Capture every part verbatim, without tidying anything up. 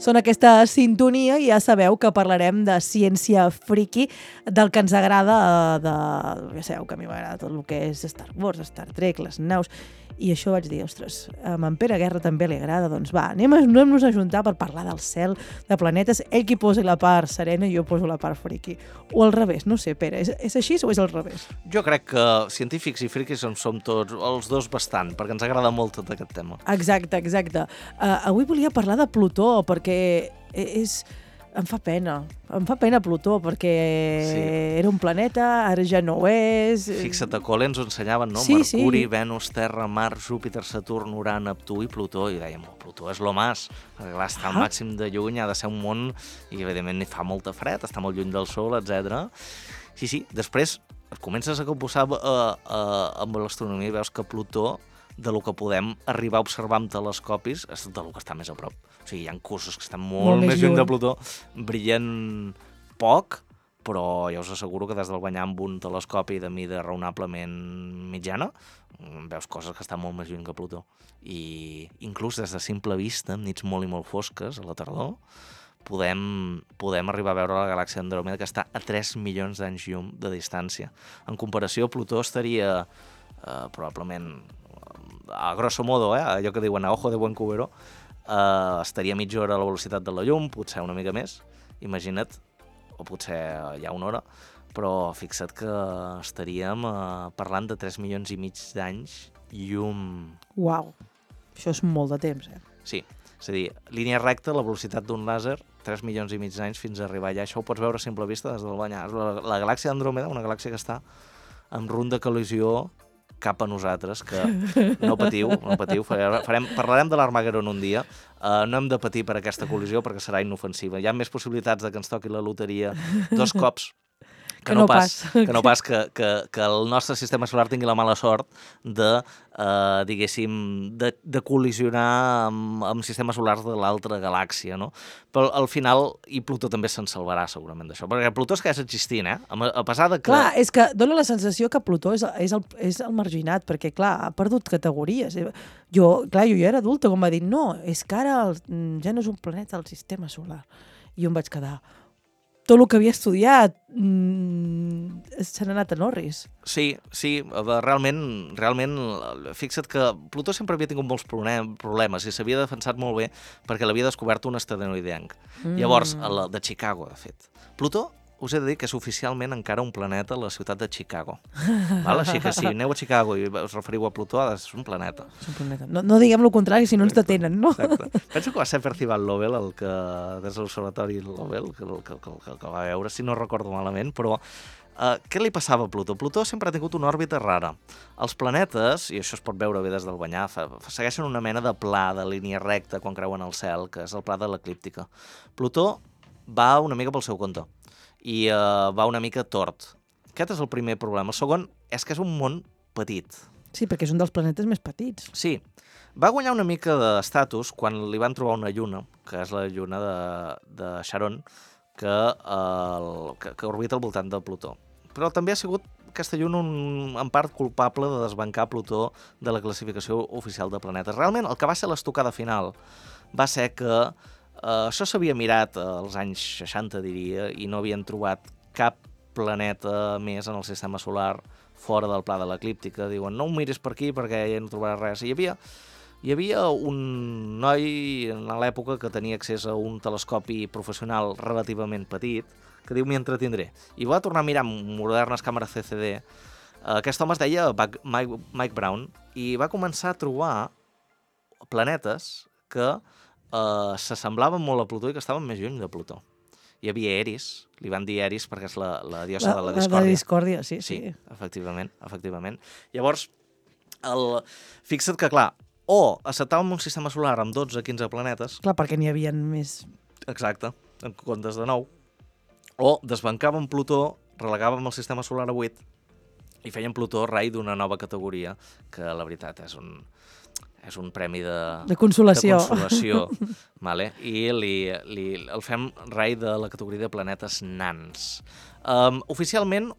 són aquesta sintonia i ja sabeu que parlarem de ciència friki, del que ens agrada, de... ja sabeu que a mi m'agrada tot el que és Star Wars, Star Trek, les naus, i això vaig dir, ostres, a en Pere Guerra també li agrada, doncs va, anem a, anem-nos a juntar per parlar del cel, de planetes, ell qui posi la part serena i jo poso la part friki. O al revés, no sé, Pere, és, és així o és al revés? Jo crec que científics i friquis som, som tots, els dos bastant, perquè ens agrada molt tot aquest tema. Exacte, exacte. Uh, avui volia parlar de Plutó, perquè és... em fa pena, em fa pena Plutó, perquè sí. era un planeta, ara ja no ho és... Fixa't, a col·le ens ho ensenyaven, no? Sí, Mercuri, sí. Venus, Terra, Mart, Júpiter, Saturn, Urà, Neptú i Plutó, i dèiem, oh, Plutó és lo más, perquè clar, està al màxim de lluny, ha de ser un món, i evidentment fa molta fred, està molt lluny del Sol, etcètera. Sí, sí, després et comences a compusar uh, uh, amb l'astronomia i veus que Plutó, de lo que podem arribar a observar amb telescopis, és de lo que està més a prop. O sigui, hi ha cossos que estan molt, molt més lluny de Plutó, brillen poc, però ja us asseguro que des del banyar amb un telescopi de mida raonablement mitjana, veus coses que estan molt més lluny que Plutó. I inclús des de simple vista, amb nits molt i molt fosques, a la tardor, podem, podem arribar a veure la galàxia Andròmeda, que està a tres milions d'anys llum de distància. En comparació, Plutó estaria eh, probablement, a grosso modo, eh, allò que diuen a ojo de buen cubero, eh, estaria mitja hora a la velocitat de la llum, potser una mica més, imagina't, o potser ja una hora, però fixa't que estaríem eh, parlant de tres milions i mig d'anys llum. Uau, això és molt de temps, eh? Sí, és a dir, línia recta, la velocitat d'un làser, tres milions i mig d'anys fins a arribar allà. Això ho pots veure a simple vista des del banyar. La, la galàxia d'Andròmeda, una galàxia que està en runda de col·lisió cap a nosaltres, que no patiu, no patiu, farem, parlarem de l'Armageddon un dia, uh, no hem de patir per aquesta col·lisió perquè serà inofensiva. Hi ha més possibilitats de que ens toqui la loteria dos cops que, que no, no pas, pas. que no pas que, que, que el nostre sistema solar tingui la mala sort de, eh, diguéssim, de, de col·lisionar amb, amb sistemes solars de l'altra galàxia, no? Però al final, i Plutó també se'n salvarà segurament d'això, perquè Plutó és que és existint, eh? A, a pesar de que... Clar, és que dona la sensació que Plutó és, és, el, és el marginat, perquè, clar, ha perdut categories. Jo, clar, jo ja era adulta, com va dir, no, és que ara el, ja no és un planeta del sistema solar. I jo em vaig quedar... tot el que havia estudiat mmm, se n'ha anat a Norris. Sí, sí, realment, realment, fixa't que Plutó sempre havia tingut molts problemes i s'havia defensat molt bé perquè l'havia descobert un asteroidenc. Mm. Llavors, el de Chicago, de fet. Plutó, us he de dir que és oficialment encara un planeta a la ciutat de Chicago. Val? Així que si aneu a Chicago i us referiu a Plutó, és un planeta. És un planeta. No, no diguem el contrari, si no ens detenen, no? Exacte. Penso que va ser Percival Lowell, el que, des de l'observatori Lowell, que, que, que, que, que va veure, si no recordo malament, però uh, què li passava a Plutó? Plutó sempre ha tingut una òrbita rara. Els planetes, i això es pot veure bé des del banyar, fa, segueixen una mena de pla, de línia recta quan creuen el cel, que és el pla de l'eclíptica. Plutó va una mica pel seu compte i uh, va una mica tort. Aquest és el primer problema. El segon és que és un món petit. Sí, perquè és un dels planetes més petits. Sí. Va guanyar una mica d'estatus quan li van trobar una lluna, que és la lluna de, de Charon, que, uh, que, que orbita al voltant de Plutó. Però també ha sigut aquesta lluna un, en part culpable de desbancar Plutó de la classificació oficial de planetes. Realment, el que va ser l'estocada final va ser que Uh, això s'havia mirat als anys seixanta, diria, i no havien trobat cap planeta més en el sistema solar fora del pla de l'eclíptica. Diuen, no ho miris per aquí perquè ja no trobaràs res. I hi havia, hi havia un noi en l'època que tenia accés a un telescopi professional relativament petit, que diu, m'hi entretindré. I va tornar a mirar amb modernes càmeres C C D. Uh, aquest home es deia Mike, Mike Brown i va començar a trobar planetes que Uh, s'assemblaven molt a Plutó i que estaven més lluny de Plutó. Hi havia Eris, li van dir Eris perquè és la, la diosa la, de la discòrdia. La de discòrdia, sí, sí. Sí, efectivament, efectivament. Llavors, el... fixa't que, clar, o acceptàvem un sistema solar amb dotze a quinze planetes... Clar, perquè n'hi havia més... Exacte, en comptes de nou. O desbancàvem Plutó, relegàvem el sistema solar a vuit i fèiem Plutó rei d'una nova categoria, que la veritat és un... és un premi de, de consolació, de consolació vale? I li, li, el fem rei de la categoria de planetes nans. Um, oficialment,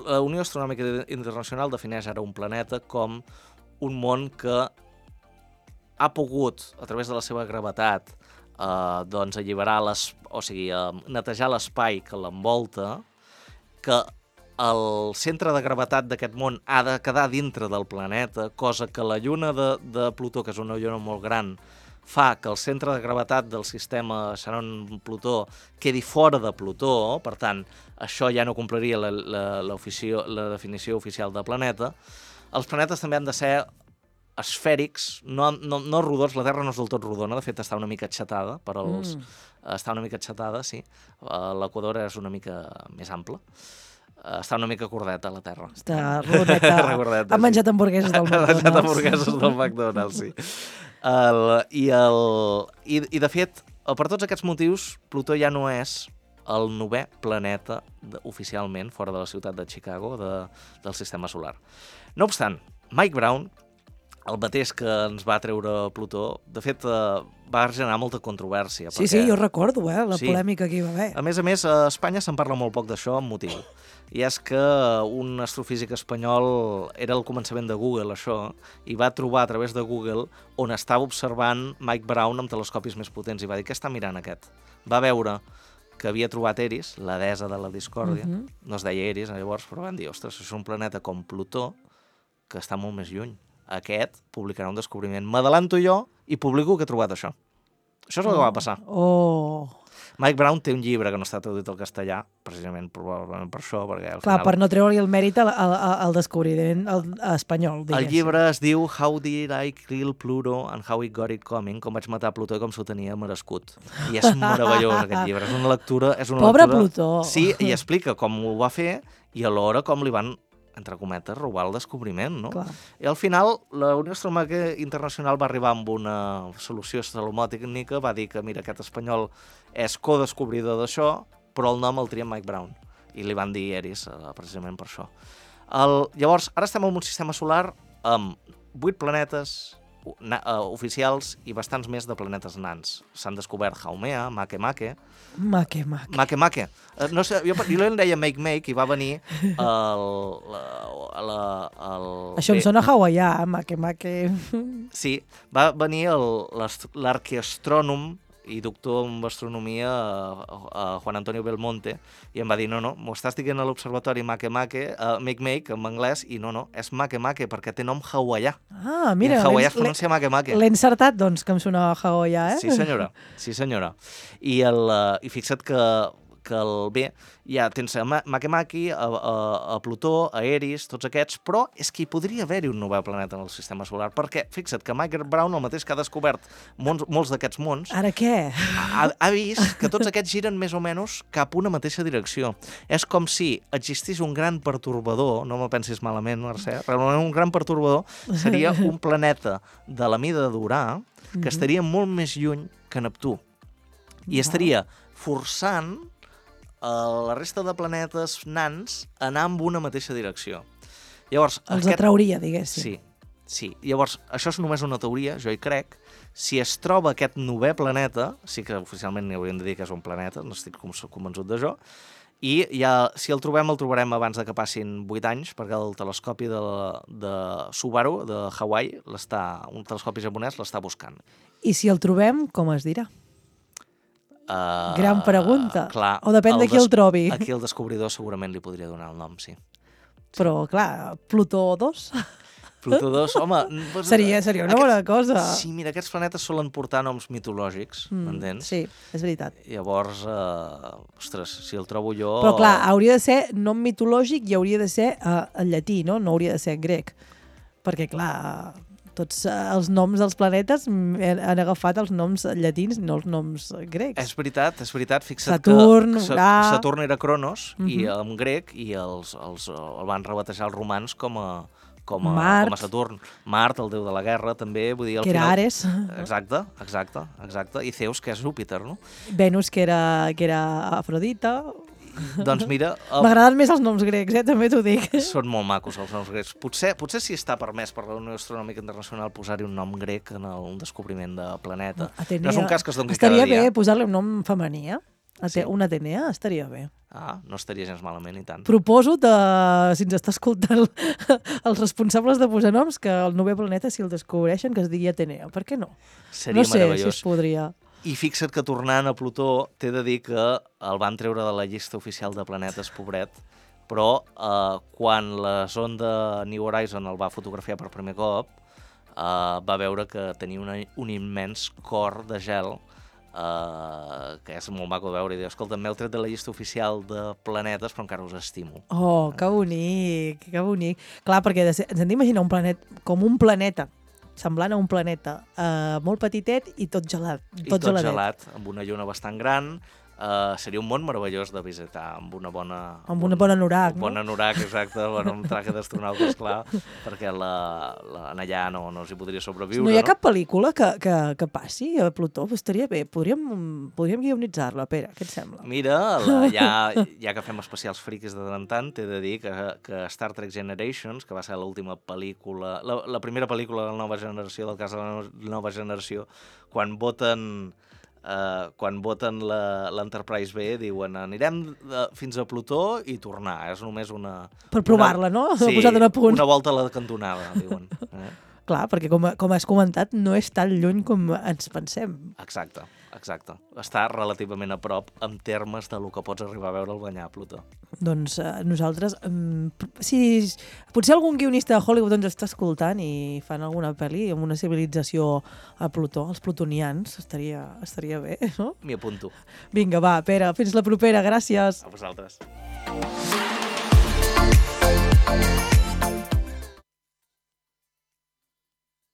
la Unió Astronòmica Internacional defineix ara un planeta com un món que ha pogut, a través de la seva gravetat, eh, doncs alliberar les, o sigui, eh, netejar l'espai que l'envolta, que el centre de gravetat d'aquest món ha de quedar dintre del planeta, cosa que la lluna de, de Plutó, que és una lluna molt gran, fa que el centre de gravetat del sistema Charon-Plutó quedi fora de Plutó, per tant, això ja no compliria la, la, la, oficio, la definició oficial de planeta. Els planetes també han de ser esfèrics, no, no, no rodons, la Terra no és del tot rodona, de fet està una mica aixatada, per als, mm. està una mica aixatada, sí. L'equador és una mica més ample. Està una mica cordeta, la Terra. Està rodeta. Recordeta, ha menjat sí. hamburgueses del McDonald's. Ha menjat hamburgueses del McDonald's, sí. El, i, el, i, I, de fet, per tots aquests motius, Plutó ja no és el novè planeta de, oficialment fora de la ciutat de Chicago de, del sistema solar. No obstant, Mike Brown, el mateix que ens va treure Plutó, de fet, eh, va generar molta controvèrsia. Sí, perquè... sí, jo recordo, eh, la sí. polèmica que hi va haver. A més a més, a Espanya se'n parla molt poc d'això amb motiu. I és que un astrofísic espanyol era al començament de Google, això, i va trobar a través de Google on estava observant Mike Brown amb telescopis més potents i va dir, què està mirant aquest? Va veure que havia trobat Eris, la deessa de la discòrdia, uh -huh. no es deia Eris llavors, però van dir, ostres, és un planeta com Plutó que està molt més lluny. Aquest publicarà un descobriment. M'adelanto jo i publico que he trobat això. Això és el oh. que va passar. Oh. Mike Brown té un llibre que no està traduït al castellà, precisament probablement per això, perquè al Clar, final... per no treure-li el mèrit al, al, al descobriment al, al espanyol, diguéssim. El llibre es diu How Did I Kill Pluto and How It Got It Coming, com vaig matar Plutó i com s'ho tenia merescut. I és meravellós, aquest llibre. És una lectura... És una Pobre lectura... Plutó! Sí, i explica com ho va fer i alhora com li van, entre cometes, robar el descobriment, no? Clar. I al final, la Unió Astronòmica Internacional va arribar amb una solució salomònica, va dir que, mira, aquest espanyol és codescobridor d'això, però el nom el tria Mike Brown. I li van dir Eris, eh, precisament per això. El, llavors, ara estem en un sistema solar amb vuit planetes na, uh, oficials i bastants més de planetes nans. S'han descobert Haumea, Makemake... Makemake. Makemake. Uh, no sé, jo, jo en deia Make Make i va venir el... la, la, el Això em sona hawaià, Makemake. Sí, va venir l'arqueastrònom i doctor en astronomia a, a Juan Antonio Belmonte i em va dir, no, no, m'ho estàs dient a l'observatori Makemake, uh, Make Make, en anglès, i no, no, és Makemake perquè té nom hawaià. Ah, mira. I en hawaià es pronuncia Makemake. L'he encertat, doncs, que em sonava hawaià, eh? Sí, senyora, sí, senyora. I, el, uh, i fixa't que que el bé, ja tens a Makemake, a, a, a Plutó, a Eris, tots aquests, però és que hi podria haver-hi un nou planeta en el sistema solar, perquè fixa't que Mike Brown, el mateix que ha descobert mons, molts d'aquests mons, ara què? Ha, ha vist que tots aquests giren més o menys cap a una mateixa direcció. És com si existís un gran pertorbador, no me pensis malament, Mercè, realment un gran pertorbador seria un planeta de la mida d'Urà que estaria molt més lluny que Neptú i estaria forçant Uh, la resta de planetes nans anar en una mateixa direcció. Llavors, els aquest... atrauria, diguéssim. Sí, sí. Llavors, això és només una teoria, jo hi crec. Si es troba aquest novè planeta, sí que oficialment n'hi hauríem de dir que és un planeta, no estic convençut d'això, i ja, si el trobem, el trobarem abans de que passin vuit anys, perquè el telescopi de, de Subaru, de Hawaii, l'està, un telescopi japonès, l'està buscant. I si el trobem, com es dirà? Uh, Gran pregunta. Clar, o depèn de qui el trobi. Aquí el descobridor segurament li podria donar el nom, sí. sí. Però, clar, Plutó dos... Plutó dos, home... Pues, seria, seria una aquests, bona cosa. Sí, mira, aquests planetes solen portar noms mitològics, mm, m'entens? Sí, és veritat. Llavors, uh, ostres, si el trobo jo... Però, clar, hauria de ser nom mitològic i hauria de ser uh, en llatí, no? No hauria de ser en grec. Perquè, clar... tots els noms dels planetes han agafat els noms llatins, no els noms grecs. És veritat, és veritat. Fixa't Saturn, que Urà... Saturn era Cronos, uh -huh. i en grec, i els, els, el van rebatejar els romans com a, com a, Mart. com a Saturn. Mart, el déu de la guerra, també. Vull dir, al que era final... Ares. Exacte, exacte, exacte. I Zeus, que és Júpiter, no? Venus, que era, que era Afrodita... Doncs mira... El... M'agraden més els noms grecs, eh? També t'ho dic. Són molt macos els noms grecs. Potser, potser sí està permès per la Unió Astronòmica Internacional posar-hi un nom grec en el, un descobriment de planeta. Atenea. No és un cas que es doni estaria cada dia. Estaria bé posar-li un nom femení, eh? Ate Sí. Una Atenea estaria bé. Ah, no estaria gens malament, i tant. Proposo, de, si ens està escoltant els responsables de posar noms, que el novè planeta, si el descobreixen, que es digui Atenea. Per què no? Seria no sé meravellós. si es podria. I fixa't que tornant a Plutó t'he de dir que el van treure de la llista oficial de planetes, pobret, però eh, quan la sonda New Horizon el va fotografiar per primer cop, eh, va veure que tenia una, un immens cor de gel, eh, que és molt maco de veure, i diu, escolta, m'heu tret de la llista oficial de planetes, però encara us estimo. Oh, que bonic, que bonic. Clar, perquè ens hem d'imaginar un planet com un planeta, semblant a un planeta uh, molt petitet i tot gelat. Tot, I tot geladet. gelat, amb una lluna bastant gran. Uh, seria un món meravellós de visitar, amb una bona... Amb una bona anorac, un no? bon anorac, exacte, bueno, un traje d'astronauta, esclar, perquè la, la, allà no, no s'hi podria sobreviure. No hi ha no? cap pel·lícula que, que, que passi a Plutó? Pues estaria bé, podríem, podríem guionitzar-la, Pere, què et sembla? Mira, la, ja, ja que fem especials friquis de tant en tant, t'he de dir que, que Star Trek Generations, que va ser l'última pel·lícula, la, la primera pel·lícula de la nova generació, del cas de la nova generació, quan voten... Uh, quan voten l'Enterprise B diuen anirem uh, fins a Plutó i tornar, és només una... Per provar-la, no? Sí, posar-la a punt. Una volta a la cantonada, diuen. Eh? Clar, perquè com, com has comentat, no és tan lluny com ens pensem. Exacte, exacte. Està relativament a prop en termes de lo que pots arribar a veure al banyar a Plutó. Doncs uh, nosaltres, um, si potser algun guionista de Hollywood ens està escoltant i fan alguna pel·li amb una civilització a Plutó, els plutonians, estaria, estaria bé, no? M'hi apunto. Vinga, va, Pere, fins la propera, gràcies. A vosaltres.